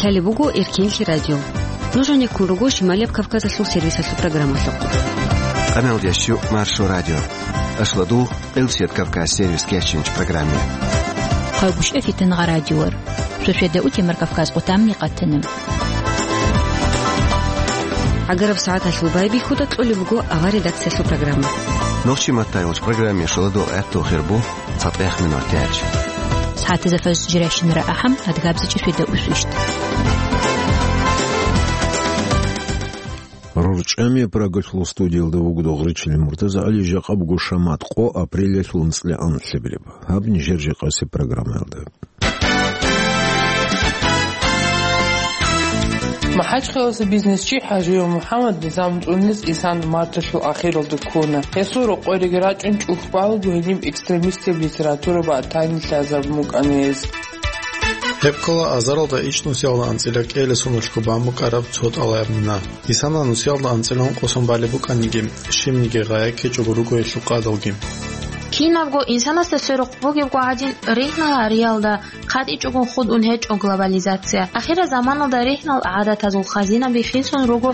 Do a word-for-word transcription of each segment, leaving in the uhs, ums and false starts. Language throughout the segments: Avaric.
Гьале буго Эркенлъи радио. Нуж гьанеккун руго Шималияб Кавказалъул сервисалъул программалъухъ. Къамел ящу Маршо радио. Ашладул Къилсият Кавказ сервис кечинч программе. Къайгъушев Фитнагъа радиор. Шошеда утемар Кавказ къутамни къатана. Агараб сагӀаталъул байбихьуда кьолеб буго авар редакциялъул программа. Нохчи маттайолч программе шоладул гӀатту хирбу. ЦатӀех минутач. СагӀатазда фажр жирайщинара ахӀам, адгабзичӀеб шведа усвищт. РорчӀами Прагалъул студиялда вугода гъричилин муртазагӀали, жакъа буго шамат къо апрелалъул анцӀила анлъабилеб. Гьаб нижер жакъасеб программаялда. МахӀачхъаласа бизнесчи ХӀажиев МухӀаммад низам цӀунилес исан марталъул ахиралда ккуна. Гьесул рокъориги рачӀун чӀухь балго гьениб экстремистияб литература батани лъазабун букӀана гьез. Гьеб ккола азаралда ичӀнусиялда анцӀила кӀиялдаса соналъго бан букӀараб цо тӀалаб мина. Исана нусиялда анцӀила ункъосан балеб букӀаниги, щибниги гъая ккечӀого руго гьелъул къадалги. Кинабго инсанасда сверухъ бугебго гӀадин, ригьнал гьариялда хъатӀичӀого хутӀун гьечӀо глобализация. Ахирзаманалда ригьнал гӀадатазул хазинаби хисун руго.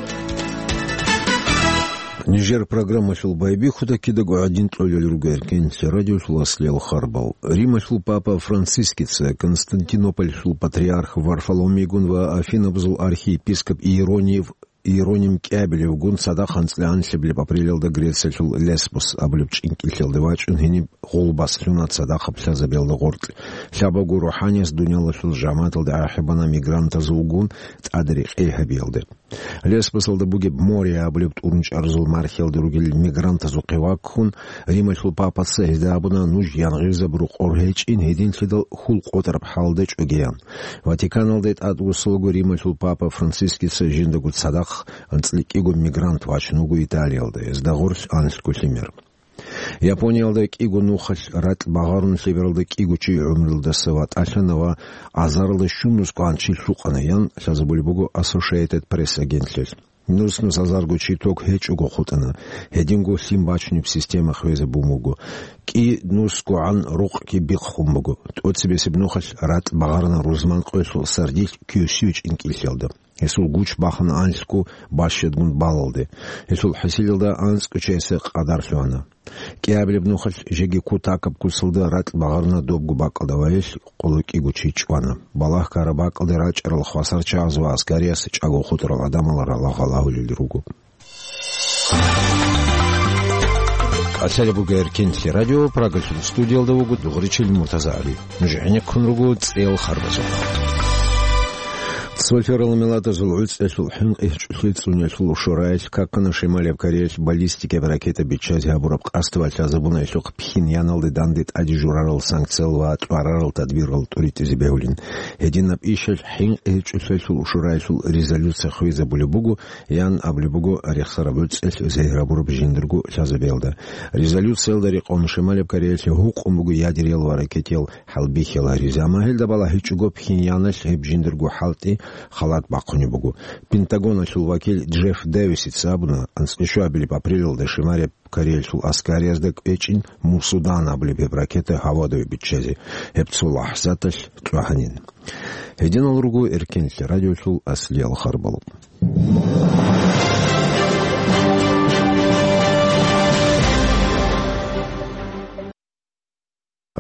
Нижер программалъул байбихьуда кидаго гӀадин кьолел руго Эркенлъи радиолъул аслиял харбал. Рималъул папа Францискица Константинополалъул патриарх Варфоломейгун ва Афинабазул архиепископ Иеронив Иероним кӀиабилевгун цадахъ анцӀила анлъабилеб апрелалда Грециялъул Лесбос абулеб чӀинкӀиллъиялде вачӀун гьениб гъулбас лъуна цадахъаб лъазабиялда гъоркь, лъабабго рухӀаниялъ дуниялалъул жамагӀаталде ахӀи бана мигрантазулгун тӀаде рекъей гьабиялде. Лесбосалда бугеб Море абулеб тӀурунчӀарзул мархиялда ругел мигрантазухъе ваккун, Рималъул папаца гьезда абуна нуж янгъизаб рокъор гьечӀин, гьединлъидал хьул къотӀараб хӀалда чӀогеян. Ватиканалде тӀадвуссалаго Рималъул папа Францискица жиндаго цадахъ анцӀила кӀиго мигрант вачун вуго Италиялда, гьезда гъорлъ анлъго лъимер. Япониялда кӀиго нухалъ ракь багъарун, лъебералда кӀиго чи гӀумруялдаса ватӀалъана ва азаралда щунусго гӀан чи лъукъана, ян лъазабулеб буго Associated Press агентлъиялъ. Нус-нус азарго чи ток гьечӀого хутӀана, гьединго лъим бачунеб система хвезабун буго. КӀи нусгогӀан рукъги бихъун буго. ТӀоцебесеб нухалъ ракь багъарана рузман къоялъул сардилъ Кьосио чӀинкӀиллъиялда. Гьесул гуч бахана анлъго бащадгун балалде. Гьесул хӀисилалда анцӀго чиясе къадар лъугьана. КӀиабилеб нухалъ жеги кутакаб куцалда ракь багъарна добго бакӀалда ва гьелъ къоло кӀиго чи чӀвана. Балагь ккараб бакӀалде рачӀарал хвасар чагӀаз ва аскариялъ чӀаго хутӀарал гӀадамал ралагъал агьулел руго. КӀалъалеб буго Эркенлъи радио, Прагалъул студиялда вуго дугъричил Муртазагьари. Нуж гӀенеккун руго цӀел харбазухъ. Цолъарал меладазул гӀуцӀиялъул хӀинкъи гьечӀолъи цӀуниялъул ушураялъ какана Шималияб Кореялъ баллистикаб ракета биччазе гьабураб къасд ва лъазабуна гьелъухъ Пхеньяналде данде тӀаде журарал санкциял ва кьварарал тадбирал тӀуритӀизе бегьулин. Гьединаб ишалъ хӀинкъи гьечӀолъиялъул ушураялъул резолюция хвезабулеб буго, ян абулеб буго рехсараб гӀуцӀиялъ зегьрабураб жиндирго лъазабиялда. Резолюциялда рекъон Шималияб Кореялъе гьукъун буго ядериял ва ракетиял хӀалбихьила гьаризе, амма гьелда балагьичӀого Пхеньяналъ гьеб жиндирго хӀалтӀи халат бахъунеб буго. Пентагоналъул вакил Джефф Дэвисица абуна, анцӀила щуабилеб апрелалда Шималияб Кореялъул аскариязда кӀвечӀин Мусудан абулеб гьеб ракета гьавадаве биччазе, гьеб цо лахӀзаталъ кьвагьанин. Гьединал руго Эркенлъи радиолъул аслиял харбал.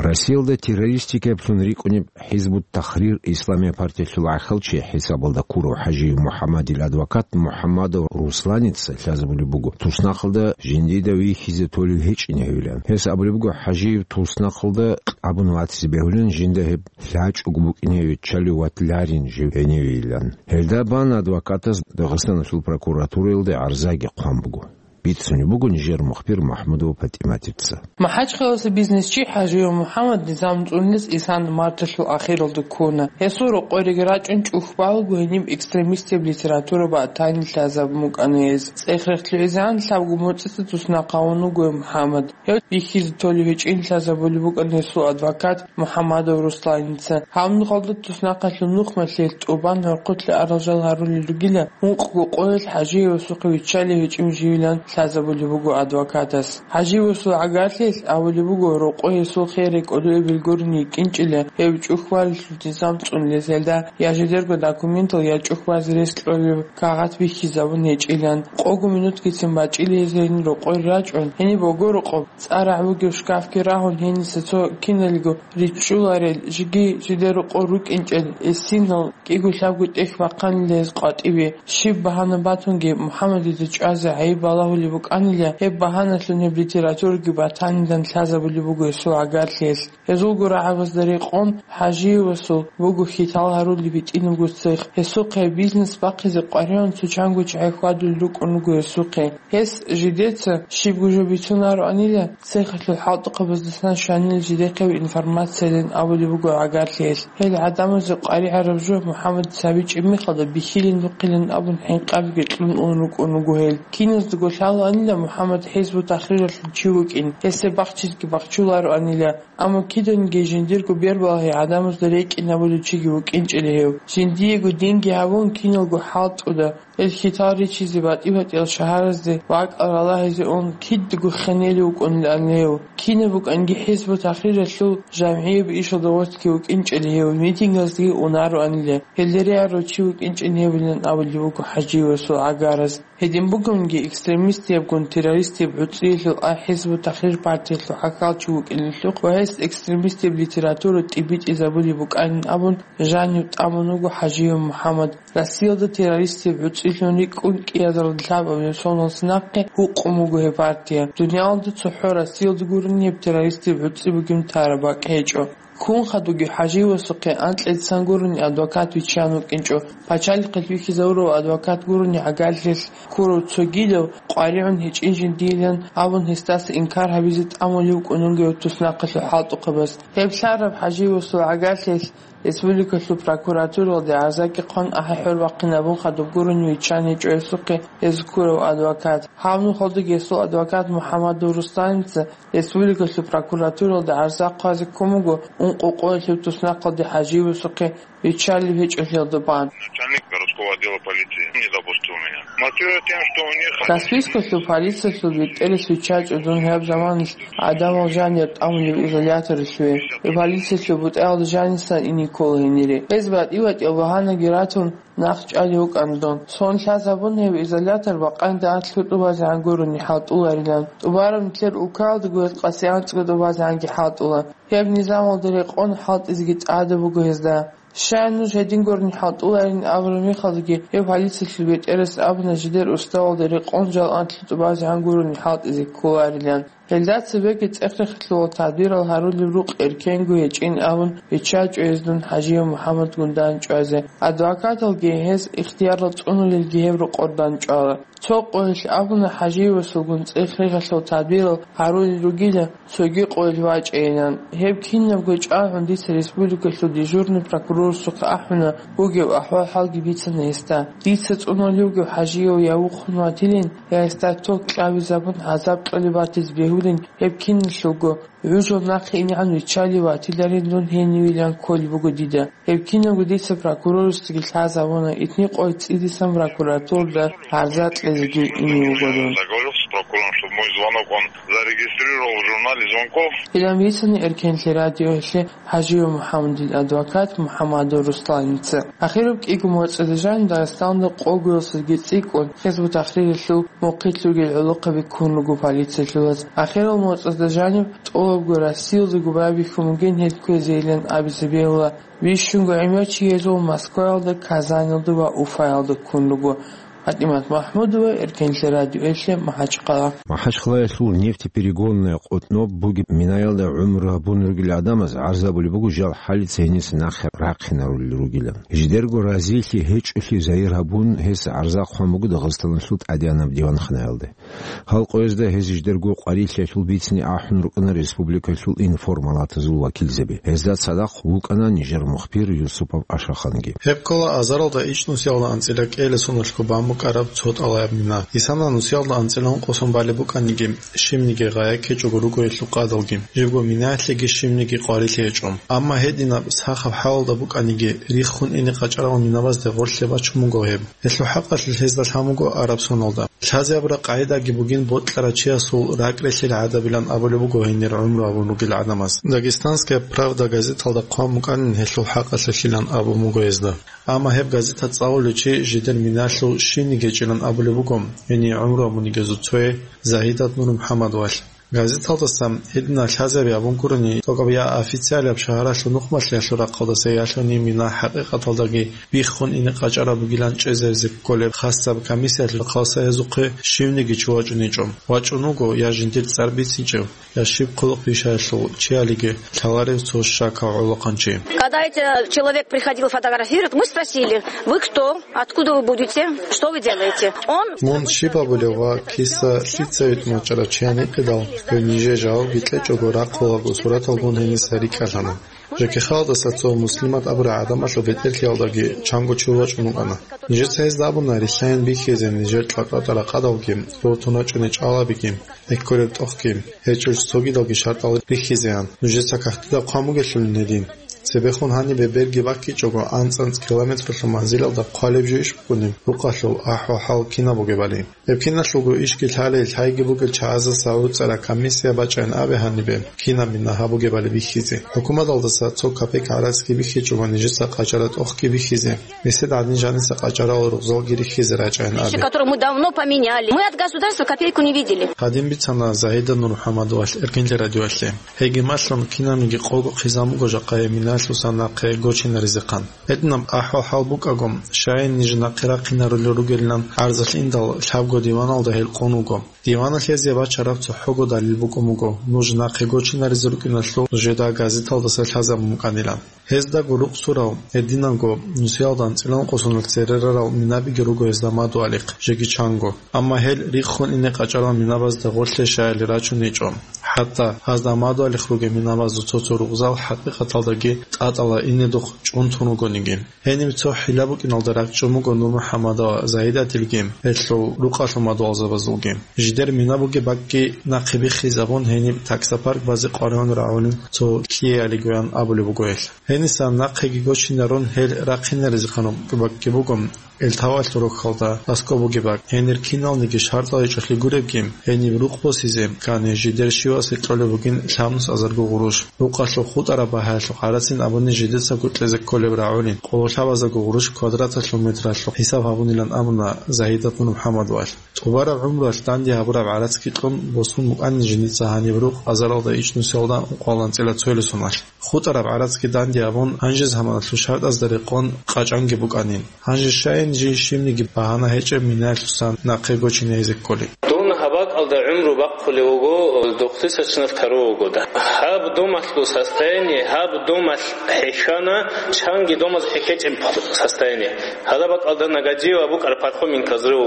Россиялда террористикаблъун рикӀкӀунеб ХӀизбут-Тахрир исламияб партиялъул гӀахьалчи хӀисабалда ккурав ХӀажиев МухӀаммадил адвокат МухӀаммадов Русланица лъазабулеб буго туснахъалда жиндида вихьизе толев гьечӀин гьавилан. Гьес абулеб буго, ХӀажиев туснахъалда кьабун ватизе бегьулин, жинда гьеб лъачӀого букӀине виччалев ватиларин жив гьенивейилан. Гьелда бан адвокатас Дагъистаналъул прокуратураялде гӀарзаги хъван буго. Бицунеб буго нижер мухбир МахӀмудова ПатӀиматица. МахӀачхъаласа бизнесчи ХӀажиев МухӀаммад низам цӀунилес исан марталъул ахиралда ккуна. Гьесул рокъориги рачӀун чӀухь балго гьениб экстремистияб литература батани лъазабун букӀана гьез. ЦӀех-рехс лъугӀизегӀан лъабго моцӀица туснахъ гьавун вуго МухӀаммад. Гьев вихьизе толев гьечӀин лъазабулеб букӀана гьесул адвокат МухӀаммадов Русланица. Гьаб нухалда туснахъалъул нухмалъе тӀубан гӀорхъулъе арал жал гьарулел ругила, ункъго къоялъ ХӀажиевасухъе виччалев гьечӀев живилан лъазабулеб буго адвокатас. ХӀаживасул гӀагарлъиялъ абулеб буго, рокъой гьесул хер рекӀодуэбил гурони йикӀинчӀила гьев чӀухьваралъул низам цӀунулезелда я жидерго документал, я чӀухьвазе рес кьолеб кагъат бихьизабун гьечӀилан. Къого минутгицин бачӀила гьез гьенир рокъой рачӀун, гьениб огорокъоб цӀарагӀ бугеб шкафги рагьун, гьениса цо киналго ричӀчӀуларел, жиги жидер рокъор рукӀинчӀел эсинал кӀиго-лъабго тӀехь бахъанила гьез къватӀибе. Щиб багьана батунги, МухӀаммадида чӀвазе гӀайиб балагьулеб букӀанила, гьеб багьаналъун гьеб литератураги батанилан лъазабулеб буго гьесул гӀагарлъиялъ. Гьезулго рагӀабазда рекъон ХӀажиевасул буго хьитал гьарулеб гьитӀинабго цех. Гьесухъе бизнес бахъизе къваригӀун цо чанго чагӀи хьвадулел рукӀун руго гьесухъе. Гьес жидеца щибго жо бицунароанила, цехалъул хӀалтӀухъабаздасан щванила жидехъе информациялин абулеб буго гӀагарлъиялъ. Гьел гӀадамазе къваригӀараб жо МухӀаммадица гьабичӀеб мехалда бихьилин бухъилин абун хӀинкъабиги кьун ун рукӀун руго гьел. Киназдаго лъалаанила МухӀаммад ХӀизбу-Тахриралъул чи вукӀин, гьесде бахчизеги бахчулароанила. Амма киданиги жиндирго бербалагьи гӀадамазда рекӀинабулев чиги вукӀинчӀила гьев. Жиндиего динги гьабун, киналго хӀалтӀуда, гьел хьитал ричизе батӀи-батӀиял шагьаразде ва акӀал ралагьизе ун кидаго хенелев вукӀунилан гьев. Кинаб букӀанги ХӀизбу-Тахриралъул жамгӀияб ишалда гъортги вукӀинчӀила гьев, митингаздеги унароанила. Гьелде регӀарав чи вукӀинчӀин гьебилан абулеб буго ХӀажиевасул гӀагараз. Гьедин бугониги, экстремистиябгун террористияб гӀуцӀиялъул а ХӀизбу-Тахрир партиялъул хӀакъалчи вукӀиналъухъ ва гьес экстремистияб литература тӀибитӀизабулеб букӀанин абун жанив тӀамун вуго ХӀажиев МухӀаммад. Россиялда террористияб гӀуцӀилъун рикӀкӀун кӀиазарда лъабабилеб соналъ нахъе гьукъун буго гьеб партия. Дуниялалда цохӀо Россиялда гурони гьеб террористияб гӀуцӀи бугеб тараб бакӀ гьечӀо. Ккун хадуги ХӀажиевасухъе анкьидасан гурони адвокат виччан вукӀинчӀо. Пачалихъе вихьизавурав адвокат гурони гӀагарлъиялъ ккурав цогидав къваригӀун гьечӀин жиндиилан абун гьесдаса инкар гьабизе тӀамулев вукӀун вуго гьев туснахъалъул хӀалтӀухъабаз. Гьеб лъараб ХӀажиевасул гӀагарлъиялъ республикалъул прокуратуралде гӀарзаги хъван ахӀи-хӀор бахъинабун хадуб гурони виччан гьечӀо гьесухъе гьез ккурав адвокат. Гьаб нухалдаги гьесул адвокат МухӀаммадов Русланица республикалъул прокуратуралда гӀарза хъвазе ккун буго ункъо къоялъул туснахъалде ХӀажиевасухъе виччалеб гьечӀолъиялда бан. Начальник городского отдела полиции не допустил меня. Мотивируя тем, что у них... Каспийскалъул полициялъул бетӀерас виччачӀо дун гьаб заманалъ гӀадамал жанир тӀамулеб изоляторалъуве. Гьеб полициялъул бутӀаялда жанисан ине ккола гьенире. Гьез батӀи-батӀиял багьанаги ратун, нахъ чӀвалев вукӀана дун. Сон лъазабун гьеб изолятор бакъанидал анлъго тӀубазегӀан гурони хӀалтӀуларилан. ТӀубараб нилъер улкаялдаго гьез къаси анцӀго тӀубазегӀанги хӀалтӀула. Гьеб низамалда рекъон хӀалтӀизеги тӀада буго гьезда. Щай нуж гьедин гурони хӀалтӀуларин абураб мехалдаги, гьев полициялъул бетӀерас абуна жидер уставалда рекъон жал анлъго тӀубазегӀан гурони хӀалтӀизе кколарилан. Гьелда цебеги цӀех-рехилъула тадбирал гьарулеб рукъ эркенго гьечӀин абун, виччачӀо гьез дун ХӀажиев МухӀаммадгун дандчӀвазе. Адвокаталги гьез ихтиярал цӀунулелги гьеб рокъор дандчӀвала. Цо къоялъ абуна ХӀажиевасулгун цӀех-рехилъул тадбирал гьарулел ругила, цоги къоялъ вачӀайилан. Гьеб кинабго чӀвагӀун дица республикалъул дежурный прокурорасухъе ахӀуна, бугеб ахӀвал-хӀалги бицана гьесда. Дица цӀунулев вугев ХӀажиев я вухун ватилин, я гьесда ток кьабизабун гӀазаб кьолеб батизе бегьулин, гьеб киналъулго гӀужал нахъе инегӀан виччалев ватиларин дун гьенивилан кколеб буго дида. Гьеб кинабго дица прокурорасдаги лъазабуна, итни къоялъ цӀидасан прокуратурада гӀарза кьезеги ине вуго дун. Договорился с прокурором, чтобы мой звонок он зарегистрировал в журнале звонков. Гьелан бицани Эркенлъи радиоялъе ХӀажиев МухӀаммадил адвокат МухӀаммадов Русланица. Ахираб кӀиго моцӀалда жанив Дагъистанда къогоялдасаги цӀикӀкӀун ХӀизбу-Тахриралъул мухъилъ ругел гӀолохъаби ккун руго полициялъулаз. Ахирал моцӀазда жанив тӀолабго Россиялдаго байбихьун бугин гьел кквезейилан абизе бегьула. Бищунго гӀемер чи гьезул Москваялда, Казанилда ва Уфаялда ккун руго. ПатӀимат МахӀмудова, Эркенлъи радиоялъе, МахӀачхъала. МахӀачхъалаялъул нефтеперегонная къотӀноб бугеб минаялда гӀумру гьабун ругел гӀадамаз гӀарзабулеб буго жал хӀалица гьениса нахъе рахъинарулел ругилан. Жидерго разилъи гьечӀолъи загьир гьабун, гьес гӀарза хъван буго Дагъистаналъул тӀадегӀанаб диванханаялде. Гьал къоязда гьез жидерго къварилъиялъул бицине ахӀун рукӀана республикалъул информалатазул вакилзаби. Гьезда цадахъ вукӀана нижер мухбир Юсупов Ашаханги. Гьеб ккола азаралда ичӀнусиялда анцӀила кӀиялдаса соналъго бан букӀараб цо тӀалаяб мина. Исана нусиялда анцӀила ункъо сон балеб букӀаниги, щибниги гъая ккечӀого руго гьелъул къадалги. Живго минаялъеги щибниги къварилъи гьечӀо. Амма гьединаб сахаб хӀалалда букӀаниги, риххун ине къачӀарал минабазде гъорлъе бачун буго гьеб. Гьелъул хӀакъалъулъ гьезда лъан буго араб соналда. Лъазе абураб къагӀидаги бугин бокьарав чиясул ракӀ релълъил гӀадабилан абулеб буго гьенир гӀумру гьабун ругел гӀадамаз. «Дагестанская правда» газеталда хъван букӀанин гьелъул хӀакъалъулъилан абун буго гьезда. Амма гьеб газета цӀалулев чи жидер миналъул щивниги гьечӀилан абулеб буго, гьенир гӀумру гьабунигезул цое Загьидат Нурмухьаммадовалъ. Газеталдаса гьединал лъазаби абун гурони, тӀокӀаб я официалияб шагьаралъул нухмалъиялъул рахъалдаса ялъуни мина хӀакъикъаталдаги биххун ине къачӀараб бугилан чӀезаризе кколеб хасаб комиссиялъул рахъалдаса гьезухъе щивниги чи вачӀуничӀо. ВачӀун вуго я жиндир цӀар бицинчӀев, я щиб хъулухъ бищаялъул чиялиги лъаларев цо щакав гӀолохъанчи. Когда этот человек приходил фотографировать, мы спросили: «Вы кто? Откуда вы будете? Что вы делаете?» Он... Мун щиб абулев ва киса лъица витӀун вачӀарав чи гьаникъидал, гьев нижее жавабги кьечӀого рахъулаго сураталгун гьениса рикӀкӀалъана. Жеке халкъалдаса цо Муслимат абурай гӀадамалъул бетӀерлъиялдаги чанго чи вачӀун вукӀана. Нижеца гьезда абуна рилълъайин бихьизе нижер кьакьатӀа ракъадалги, рортун рачӀунел чӀалабиги, экколеб тӀохги, гьечӀел цогидалги шартӀал рихьизеян. Нужеца кагътида хъван бугелъулин гьедин. Цебехун гьанибе берги баккичӀого анцӀ-анцӀ километралъул манзилалда хъвалеб жо иш букӀунеб, рукъалъул ахӀвал-хӀал кинаб бугебали. Гьеб киналъулго ишги лъалей, лъайги бугел чагӀазаса гӀуцӀараб комиссия бачӀайин абе гьанибе, кинаб мина гьаб бугебали бихьизе. ХӀукуматалдаса цо капек гӀарацги бихьичӀого нижеца къачӀараб тӀохги бихьизе. Месед гӀадин жаниса къачӀарал рукъзалги рихьизе рачӀайин абе. Вещи, которые мы давно поменяли. Мы от государства копейку не видели. Гьадин бицана Загьида Нурмухьаммадовалъ Эркинлъи радиоялъе. Гьебги малъун, кинабниги къого хъизан буго жакъа гьеб миналъусан нахъе гочинаризехъан. Гьединаб ахӀвал-хӀал букӀаго, щайин ниж нахъе рахъинарулел ругелилан гӀарзалъ индал лъабго диваналда гьел къун вуго. Диваналъ гьезие бачараб цохӀого далил букӀун буго, нуж нахъе гочинаризе рукӀиналъул нужеда газеталдаса лъазабун букӀанилан. Гьездаго рукъ сурал, гьединанго нусиялда анцӀила ункъо соналъ цере рарал минабиги руго гьезда мадугьалихъ, жеги чанго. Амма гьел риххун ине къачӀарал минабазда гъорлъе щаяли рачуничӀо. ХӀатта гьазда мадугьалихъ ругел минабазул цо-цо рукъзал хӀакъикъаталдаги тӀатӀала инедухъ чӀунтун ругониги. Гьениб цо хӀила букӀиналда ракӀчӀун буго НурмухӀаммадил ва Загьидатилги, гьелъул рукъалъул мадугьалзабазулги. Жидер мина бугеб бакӀги нахъе биххизабун, гьениб таксопарк базе къваригӀун рагӀулин цо ккеялигоян абулеб буго гьелъ. Гьенисан нахъеги гочинарун гьел рахъинаризехъан бакӀги буго, Элтавалъ рохьалда аскӀоб бугеб бакӀ. Гьенир киналниги шартӀал гьечӀолъи гуребги, гьениб рукъ босизе ккани, жидер щивасе кьолеб бугин лъабнус азарго гъурущ. Рукъалъул хутӀараб багьаялъухъ гӀарацин абуни жидецаго кьезе кколеб рагӀулин, къоло лъабазарго гъурущ квадраталъул метралъухъ хӀисаб гьабунилан абуна Загьидат МухӀаммадовалъ. ТӀубараб гӀумруялъ данде гьабураб гӀарацги кьун босун букӀанин жиндица гьаниб рукъ азаралда ичӀнусиялда ункъоялда анцӀила цоялъул соналъ. ХутӀараб гӀарацги данде гьабун, гьанже заманалъул шартӀазда рекъон къачӀанги букӀанин. Гьанже щайин жий щибниги багьана гьечӀеб минаялъусан нахъе гочине гьезе кколин. Дун гьаб бакӀалда гӀумру бахъулев вуго дохъдисачнаб таро вугода. Гьаб домалъул состояние, гьаб домалъ хӀехьана, чанги домаз хӀехьечӀеб состояние. Гьадаб бакӀалда Нагадиева букӀараб Пархоменко взрыв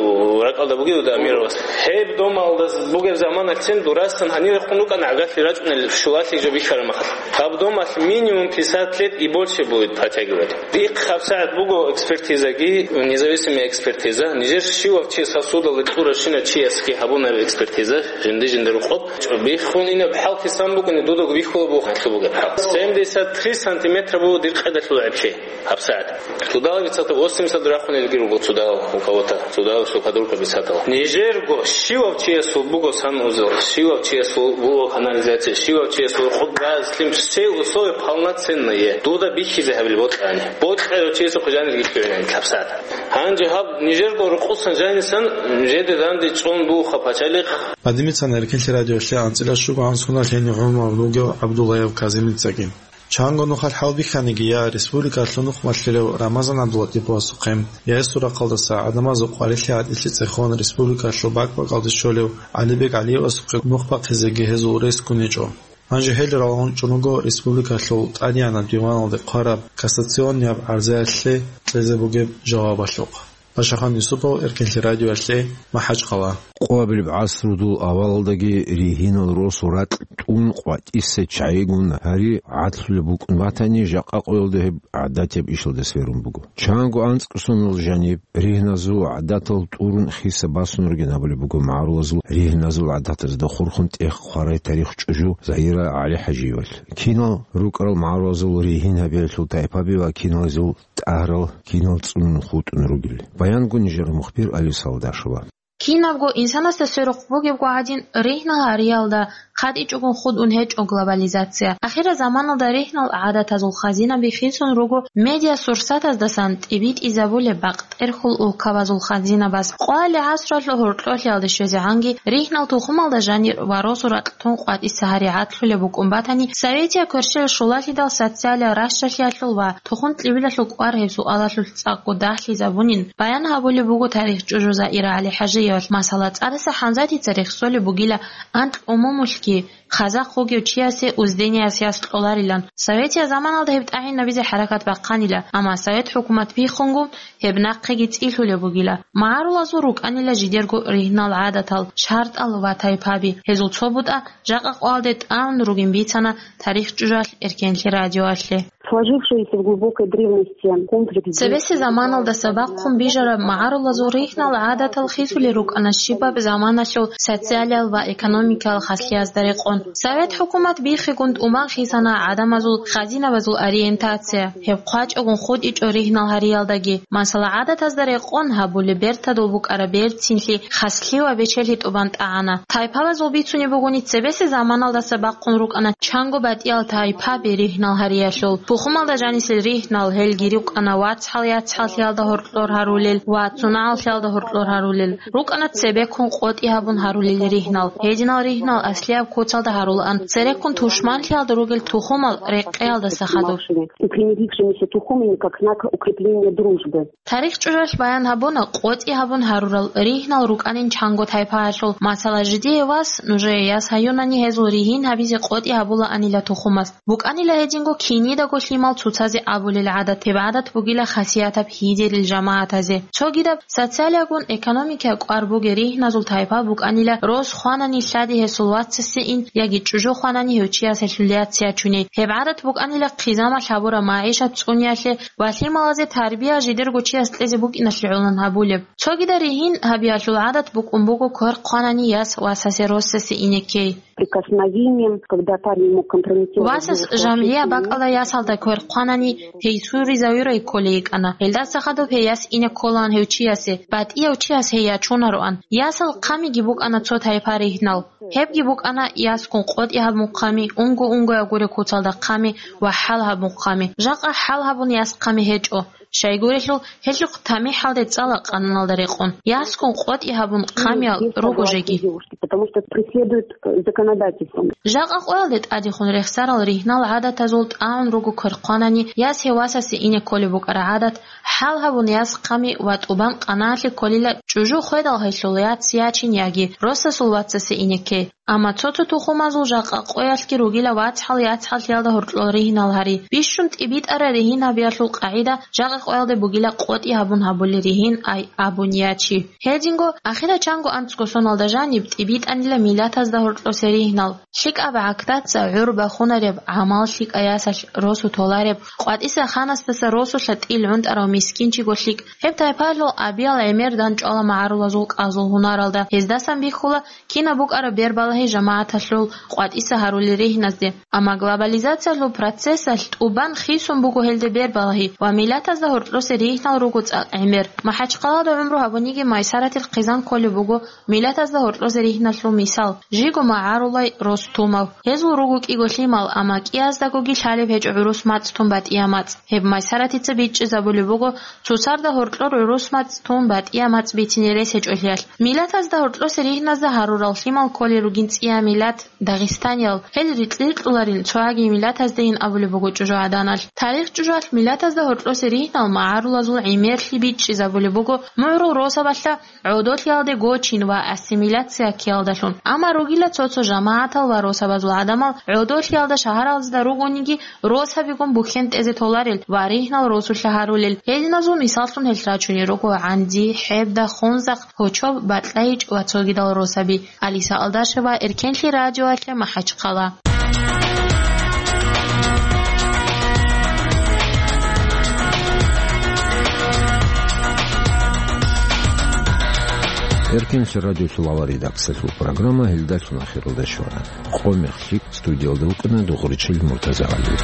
ракӀалда бугев дуда Амировас. Гьеб домалда бугеб заманалъцин дурасан гьанирехун рукӀана гӀагарлъи рачӀунел щулалъи жо бихьараб мехалъ. Гьаб домалъ минимум пятьдесят лет и больше будет протягивать. Дихъ гьабсагӀат буго экспертизаги, независимая экспертиза. Нижер щивав чи сосудалда кьуращинав чиясги гьабунаб экспертиза, жинди-жиндир рукъоб. Биххун инеб хӀал хисан букӀуни, дудаго бихьула буго гьалъуб бугеб хӀал. Семьдесят три сантиметра буго дир къедалъул гӀеблъи. ГьабсагӀат. Цудал бицатал восемьдесят рахъун илги руго цудал у кого-то. Цудал что подруга бицатал. Нижерго щивав чиясул буго санузел, щивав чиясул буго канализация, щивав чиясул хъуб, газ, лъим, все условия полноценные. Дуда бихьизе гьабил бокьани. Бокьарав чиясухъ жанир гилъугӀинани гьабсагӀат. Гьанже гьаб нижерго рукъусан жанисан, жеде данде чӀун бугоха пачалихъ. Гьадимицан Эркинлъи радиоялъе анцӀила щуго гӀан соналъ гьенив гӀумру гьабун вугев ГӀабдуллаев Казимицаги. Чанго нухалъ хӀалбихьаниги, я республикалъул нухмалъилев Рамазан ГӀабдулатиповасухъе, я гьесул рахъалдаса гӀадамазул къварилъи-гӀатӀилъи цӀехон республикалъул бакӀ-бакӀалде щолев ГӀалибек ГӀалиевасухъе нух бахъизеги гьезул рес ккунечӀо. Гьанже гьел ралгӀун чӀун руго республикалъул тӀадегӀанаб диваналде хъвараб кассационнияб гӀарзаялъе кьезе бугеб жавабалъухъ. Пашахан Юсупов, Эркинлъи радиоялъе, МахӀачхъала. Къоабилеб гӀасрудул авалалдаги ригьинал росу ракь тӀун къватӀиса чагӀигун гьари гӀадлъулеб букӀун батани, жакъа къоялда гьеб гӀадатияб ишалда сверун буго. Чанго анцӀкӀусунал жаниб ригьназул гӀадатал тӀурун хиса басун ругин абулеб буго магӀарулазул ригьназул гӀадатазда хурхун тӀех хъварай тарих чӀужу Загьира ГӀалихӀажиевалъ. Кинал рукӀарал магӀарулазул ригьин гьабиялъул тайпаби ва киналазул тӀагьрал кинал цӀунун хутӀун ругел. Баянгун нижер мухбир Алиса Алдашева. Кинабго инсанасда сверухъ бугебго гӀадин, ригьнал гьариялда хъатӀичӀого хутӀун гьечӀо глобализация. Ахирзаманалда ригьнал гӀадатазул хазинаби хисун руго медиасурсатаздасан тӀибитӀизабулеб бакъ тӀерхьул улкабазул хазинабаз. Къоялъ гӀасралъул гьоркьолъиялде щвезегӀанги, ригьнал тухумалда жанир ва росу ракьтун къватӀиса гьари гӀадлъулеб букӀун батани, советиял кверщел щулалъидал социалияб ращалъиялъул ва тухум-кьибилалъул кӀвар гьеб суалалъулъ цӀакъго дагьлъизабунин, баян гьабулеб буго тарих чӀужу Заира ГӀалихӀажиевалъ. Масала, ЦӀадаса ХӀамзатица рехсолеб бугила анкь умумулъги, хазахъ вугев чиясе уздениялъ яс кьоларилан. Советиял заманалда гьеб тӀагӀинабизе хӀаракат бахъанила, амма совет хӀукумат биххунгун гьеб нахъеги цӀилъулеб бугила. МагӀарулазул рукӀанила жидерго ригьнал гӀадатал, шартӀал ва тайпаби. Гьезул цо бутӀа жакъа къоялде тӀамун ругин бицана тарих чӀужалъ Эркенлъи радиоялъе. Сложившиеся в глубокой древности комплекс Цебесеб заманалдаса бахъун бижараб магӀарулазул ригьнал гӀадатал хисулел рукӀана щибаб заманалъул социалиял ва экономикиял хаслъиязда рекъон. Совет хӀукумат биххигун тӀубан хисана гӀадамазул хазинабазул ориентация. Гьеб хъвачӀогун хутӀичӀо ригьнал гьариялдаги. Масала, гӀадатазда рекъон гьабулеб бертадул букӀараб берцинлъи, хаслъи ва бечелъи тӀубан тӀагӀана. Тайпабазул бицунеб бугони, цебесеб заманалдаса бахъун рукӀана чанго батӀиял тайпаби ригьнал гьариялъул. Тухумалда жанисел ригьнал, гьелги рукӀана вацгӀал-яцгӀаллъиялда гьоркьор гьарулел ва цунагӀаллъиялда гьоркьор гьарулел. РукӀана цебеккун къотӀи гьабун гьарулел ригьнал. Гьединал ригьнал аслияб куцалда гьарулаан, цереккун тушманлъиялда ругел тухумал рекъеялдаса хадуб. И примирившимися тухумами как знак укрепления дружбы. Тарих чӀужалъ баян гьабуна къотӀи гьабун гьарурал ригьнал рукӀанин чанго тайпаялъул. Масала, жидее вас, нужее яс гьаюнани гьезул ригьин гьабизе къотӀи гьабулаанила тухумас. БукӀанила гьединго кинидаго лъимал цоцазе абулел гӀадат, гьеб гӀадат бугила хасиятаб гьидерил жамагӀатазе. Цогидаб социалиягун экономикияб кӀвар бугел ригьназул тайпа букӀанила рос хванани лъади гьесул вацасе ин яги чӀужу хванани гьев чияс гьелъул яц ячуни. Гьеб гӀадат букӀанила хъизамалъ гьабураб магӀишат цӀуниялъе ва лъималазе тарбия жидерго чияс кьезе букӀиналъе гӀолан гьабулеб. Цогидал ригьин гьабиялъул гӀадат букӀун буго квер хъванани яс васасе росасе инеккей. Прикосновением, когда парень мог компрометировать Васас других жамгӀия мужчин. БакӀалда ясалда квер хъванани, гьей суризавирай кколей йикӀана. Гьелдаса хадуб гьей яс ине кколаан гьев чиясе, батӀияв чияс гьей ячунароан. Ясал хъамиги букӀана цо тайпа ригьнал. Гьебги букӀана яскун къотӀи гьабун хъами, унго-унгояб гуре куцалда хъами ва хӀал гьабун хъами. Жакъа хӀал гьабун яс хъами гьечӀо. Щайгурелъул, гьелъухъ тамихӀалде цӀала къануналда рекъон. Яскун къотӀи гьабун хъамиял руго жеги. Потому что преследуют, э, законодательством. Жакъа къоялде тӀадехун рехсарал ригьнал гӀадатазул тӀагӀун руго квер хъванани, яс гьев васасе ине кколеб букӀараб гӀадат, хӀал гьабун яс хъами ва тӀубан къанаалъе кколила чӀужу хведал гьелъул яц ячин яги росасул вацасе инекке. Амма цо-цо тухумазул жакъа къоялъги ругила вацгӀал-яцгӀаллъиялда гьоркьор ригьнал гьари. Бищун тӀибитӀараб ригьин гьабиялъул къагӀида жакъа къоялде бугила къотӀи гьабун гьабулел ригьин ай абун ячи. Гьединго, ахирачанго анцӀго соналда жаниб тӀибитӀанила миллатазда гьоркьосе ригьнал. ЛъикӀаб гӀагдаца гӀур бахунареб, гӀамал лъикӀай ясалъ росу толареб, къватӀиса ханасдаса росулъа тӀил гӀунтӀарав мискинчиго лъикӀ, гьеб тайпаялъул абиял гӀемер данчӀвала магӀарулазул кӀазул гьунаралда, гьездасан бихьула кинаб букӀараб бербалагьи жамагӀаталъул къватӀиса гьарулел ригьназде. Амма глобализациялъул процессалъ тӀубан хисун буго гьелде бербалагьи ва миллатазда гьоркьосе ригьнал руго цӀакъ гӀемер. МахӀачхъалада гӀумру гьабуниги Майсаратил хъизан кколеб буго миллатазда гьоркьозе ригьналъул мисал, жиго магӀарулай Ростумов. Гьезул руго кӀиго лъимал, амма кӀияздагоги лъалеб гьечӀо гӀурус мацӀ тун батӀия мацӀ. Гьеб Майсаратица бичӀчӀизабулеб буго цоцазда гьоркьор гӀурус мацӀ тун батӀия мацӀ бицине рес гьечӀолъиялъ. Миллатазда гьоркьосе ригьназда гьарурал лъимал кколел ругин цӀия миллат, дагъистаниял. Гьел рикь-рикьуларин цогьаги миллатаздейин абулеб буго чӀужугӀаданалъ. Тарих чӀужуялъ миллатазда гьоркьосе ригьнал магӀарулазул гӀемерлъи бичӀчӀизабулеб буго мугӀрул росабалъа гӀодолъиялде гочин ва ассимиляция ккеялдалъун. Амма ругила цо-цо жамагӀатал ва росабазул гӀадамал гӀодолъиялда шагьаралзда ругониги росабигун бухьен тӀезе толарел ва ригьнал росулъа гьарулел. Гьединазул мисаллъун гьелъ рачунел руго ГӀанди, ХӀебда, Хунзахъ, Гьочоб, БатӀлайичӀ ва цогидал росаби. Алиса Алдашева, Эркенлъи радиоялъе, МахӀачхъала. Эркенлъи радиолъул авал редакциялъул программа гьелдалъун ахиралда щвана. Къо мех лъикӀ студиялда вукӀана Дугъричил Муртазагьалиев.